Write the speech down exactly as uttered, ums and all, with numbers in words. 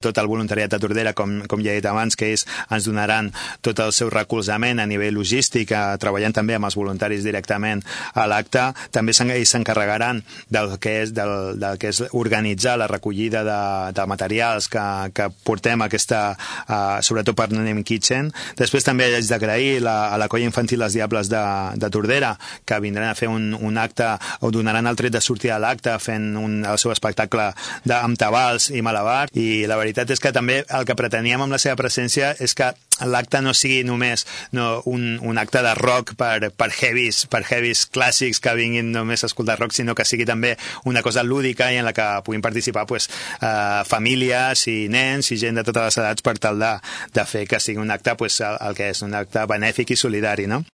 tot el voluntariat de Tordera, com, com ja he dit abans, que ells ens donaran tot el seu recolzament a nivell logístic, eh, treballant també amb els voluntaris directament a l'acte. També ells s'encarregaran del que és, del, del que és organitzar la recollida de, de materials que, que portem a aquesta, eh, sobretot per Nenem Kitchen. Després també haig d'agrair la, a la colla infantil Les Diables de, de Tordera, que vindran a fer un, un acte, o donaran el tret de sortir a l'acte fent un, el seu espectacle de, amb tabals i malabar, i la veritat és que també el que preteníem amb la seva presència és que l'acte no sigui només no, un, un acte de rock per, per heavies, per heavies clàssics que vinguin només a escoltar rock, sinó que sigui també una cosa lúdica i en la que puguin participar pues, eh, famílies i nens i gent de totes les edats per tal de, de fer que sigui un acte pues, el, el que és un acte benèfic i solidari, no?